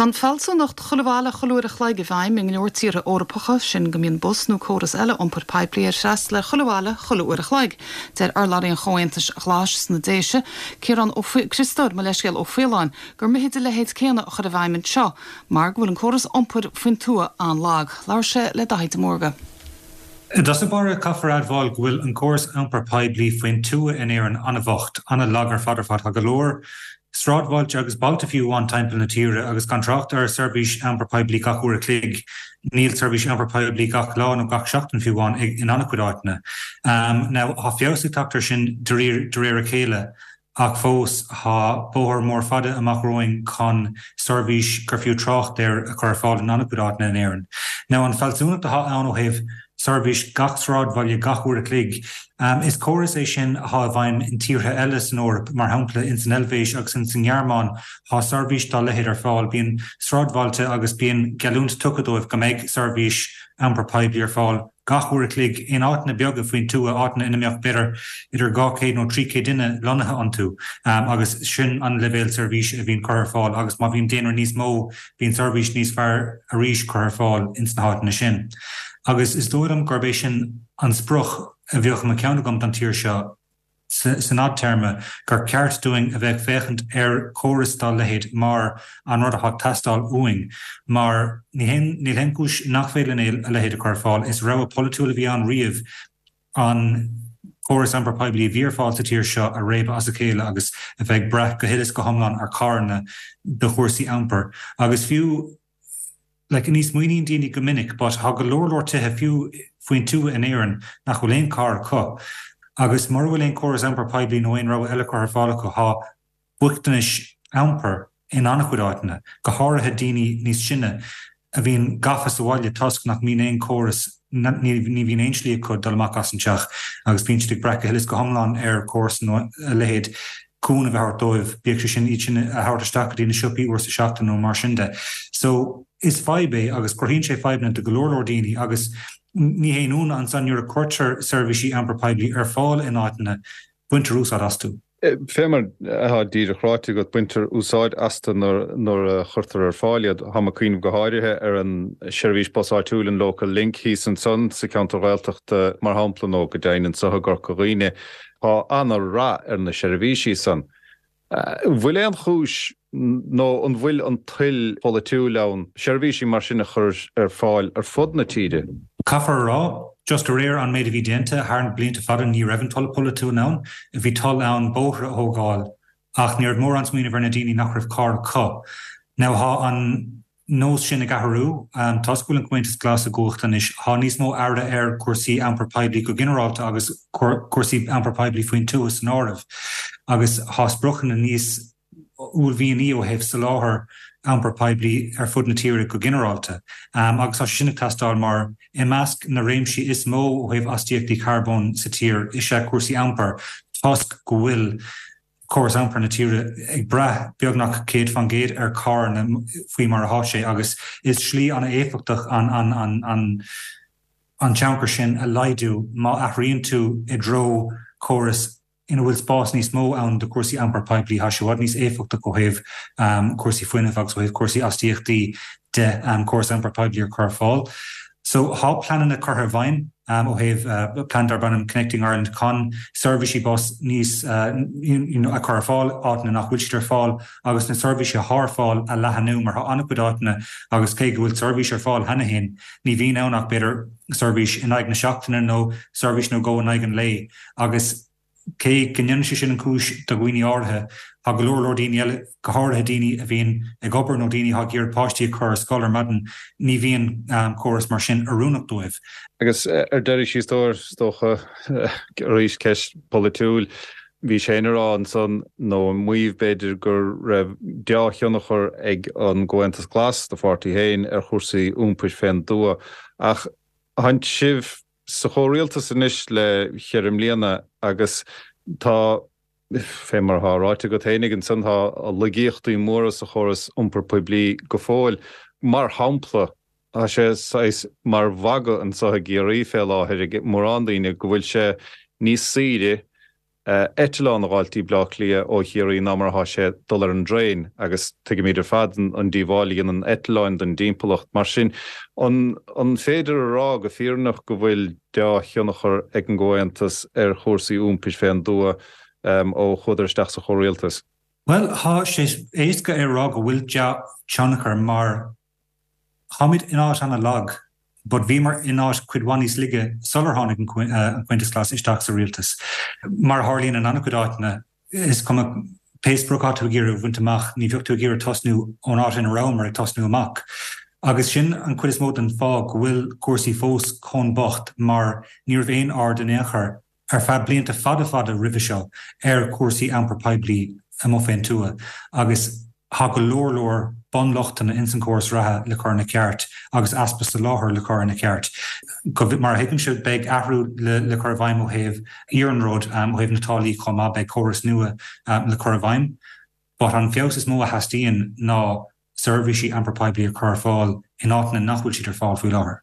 Tá an fealsúnacht 'chuile bhaile chuile uair a chloig' i bhfeidhm i ngo leor tíortha Eorpacha, sin go mbíonn bus nó córas eile iompair poiblí ar freastal ar chuile bhaile chuile uair a chloig. Deir urlabhraí an Chomhaontais Ghlais sna Déise, Ciarán Ó Criostóir, mo leithscéal, Ó Faoláin, gur mithid a leithéid céanna a chur i bhfeidhm anseo mar go bhfuil an córas iompair faoin tuath an-lag. Labhair sé le Daithí de Mórdha. I dtosach báire, caithfear a admháil go bhfuil an córas iompair poiblí faoin tuath in Éirinn an-bhocht, an-lag ar fad ar fad. Tá go leor sráidbhailte agus bailte fiú amháin timpeall na tíre, agus gan trácht ar seirbhís iompair poiblí gach uair a chloig, níl seirbhís iompair poiblí gach lá nó gach seachtain fiú amháin in an-chuid áiteanna. Now, tá feabhas ag teacht air sin de réir a chéile. Ach fós, tá bóthar mór fada amach romhainn chun seirbhís gur fiú trácht air a chur ar fáil in an-chuid áiteanna in Éirinn. Now, an fealsúnacht atá ann ó thaobh seirbhís gach sráidbhaile gach uair a chloig, is córas é sin atá i bhfeidhm in tíortha eile san Eoraip, mar shampla ins an Eilvéis agus ins an nGearmáin tá seirbhís dá leithéid ar fáil. Bíonn sráidbhailte agus bíonn geallúint tugtha dóibh go mbeidh seirbhís iompair poiblí ar fáil. gach uair a chloig in áiteanna beaga faoin tuath, áiteanna ina mbeadh b'fhéidir idir 200 nó 300 duine lonnaithe iontu agus sin an leibhéal seirbhíse a bhíonn curtha ar fáil agus má bhíonn daonra níos mó bíonn seirbhís níos fearr arís curtha ar fáil ins na háiteanna sin. Agus is dóigh liom gurb é sin an sprioc a bheadh i mo cheann agam don tír seo. san fhadtéarma, gur ceart dúinn a bheith ag féachaint ar chóras dá leithéid mar an rud atá ag teastáil uainn, mar ní haon, níl aon chúis nach féidir linn a leithéid a chur ar fáil. Is rogha polaitiúil a bhí ann riamh an córas iompair poiblí a bhí ar fáil sa tír seo a réabadh as a chéile agus a bheith ag brath go huile is go hiomlán ar charranna do chúrsaí iompair. Agus fiú. like ní smaoiníonn daoine go minic but tá go leor leor tithe fiú faoin tuath in Éirinn nach bhfuil aon carr acu agus mura bhfuil aon córas iompair poiblí nó aon rogha eile curtha ar fáil acu tá bochtanais iompair in an-chuid áiteanna, go háirithe daoine níos sine a bhíonn gafa sa bhaile toisc nach mbíonn aon córas ní bhíonn aon slí acu dul amach as an teach agus bíonn siad ag brath go huile is go hiomlán ar chóras nó a leithéid cúnamh a thabhairt dóibh, bíodh sé sin iad sin a thabhairt isteach go dtí na siopaí uair sa seachtain nó mar sin de. So, is fadhb é agus cruthaíonn sé fadhbanna do go leor leor daoine agus ní haon ionadh ansan nuair a cuirtear seirbhísí iompair poiblí ar fáil in áiteanna, baintear úsáid astu. Fé mar atá díreach ráite agat, baintear úsáid astu nuair a chuirtear ar fáil iad. Táim ag cuimhneamh go háirithe ar an seirbhís bus áitiúil, an Local Link, thíos ansan sa cheantar Ghaeltachta, mar shampla, nó go deimhin anso i gCorca Dhuibhne. Tá ana-rath ar na seirbhísí san. An bhfuil aon chúis nó an bhfuil an toil pholaitiúil ann seirbhísí mar sin a chur ar fáil ar fud na tíre? Caithfear a rá, just de réir an méid a bhí déanta thar na blianta fada ní raibh an toil polaitiúil ann. Bhí toil ann bóithre a thógáil ach ní raibh mórán smaoineamh ar na daoine nach raibh carr acu. Now tá an nós sin ag athrú. Toisc go bhfuil an Comhaontas Glas i gcumhacht anois, tá níos mó aire ar chúrsaí iompair poiblí go ginearálta agus cúrsaí iompair poiblí faoin tuath san áireamh, agus tá spriocanna níos uaillmhianaí ó thaobh soláthar iompair poiblí ar fud na tíre go ginearálta. Agus tá sé sin ag teastáil mar i measc na réimsí is mó ó thaobh astaíochtaí carbóin sa tír is ea cúrsaí iompair toisc go bhfuil córas iompair na tíre ag brath beagnach 100% ar charranna faoi mar atá sé agus is slí an-éifeachtach an an tionchar sin a laghdú má athraíonn tú i dtreo córas ina bhfuil spás níos mó ann do chúrsaí iompair poiblí. Tá sé i bhfad níos éifeachtach ó thaobh cúrsaí fuinnimh agus ó thaobh cúrsaí astaíochtaí de córas iompair poiblí a chur ar fáil. So tá pleananna curtha i bhfeidhm ó thaobh plean darb ainm Connecting Ireland chun seirbhísí bus níos you know a chur ar fáil áiteanna nach bhfuil siad ar fáil agus na seirbhísí atá ar fáil a leathanú mar tá an-chuid áiteanna agus cé go bhfuil seirbhís ar fáil cheana féin ní bhíonn ann ach b'fhéidir seirbhís in aghaidh na seachtaine nó seirbhís nó dhó in aghaidh an lae agus Cé go ndéanann sé sin an chúis do dhaoine áirithe, tá go leor leor daoine eile, go háirithe daoine a bhíonn ag obair nó daoine atá ag iarraidh páistí a chur ar scoil ar maidin, ní bhíonn córas mar sin oiriúnach dóibh. Agus ar deireadh siar thoir, is dócha, arís ceist pholaitiúil, bhís féin ag rá ansan, nó ag maíomh b'fhéidir, go raibh deá-thionchar ag an gComhaontas Glas, do pháirtí féin, ar chúrsaí iompair fén dtuath. Ach tánn sibh sa chomhrialtas anois le cheithre mbliana agus tá, fé mar atá ráite agat fhéinig ansan, tá laigíochtaí móra sa chóras iompair poiblí go fóill. Mar shampla, tá sé saghas mar mhagadh anso i gCiarraí fé láthair ag mórán daoine go bhfuil sé níos saoire. Eitleán a dh'fháilt dtí Bleá Cliath ó Chiarraí ná mar atá sé dul ar an dtraein agus tuigimid ar fad an díobháil a dhéanann eitleáin don dtimpeallacht. Mar sin, an féidir a rá go fírinneach go bhfuil deá-thionchar ag an gComhaontas ar chúrsaí iompair fén dtuath ó chuadar isteach sa chomhrialtas? Bhuel, tá sé éasca é a rá go bhfuil dea-thionchar mar Táimid in áit ana-lag, but bhíomar in áit cuid mhaith níos laige sular tháinig an Comhaontas Glas isteach sa rialtas. Mar a tharlaíonn in an-chuid áiteanna, is cuma pé sprioc atá tú ag iarraidh a bhaint amach, ní bheadh tú ag iarraidh tosnú ón áit ina rabhamar ag tosnú amach. Agus sin an chuid is mó den fáth go bhfuil cúrsaí fós chomh bocht mar ní raibh aon aird in aon chor ar feadh blianta fada fada roimhe seo ar chúrsaí iompar poiblí amuigh fén tuath agus tá go leor leor bunlochtanna ins an chóras reatha le cur ina ceart agus easpa soláthair le cur ina ceart. Mar a thuigimse beidh athrú le cur i bhfeidhm ó thaobh iarnróid, ó thaobh na táillí chomh maith, beidh córas nua le cur i bhfeidhm. But an feabhas is mó a theastaíonn ná seirbhísí iompar poiblí a chur ar fáil in áiteanna nach bhfuil siad ar fáil faoi láthair.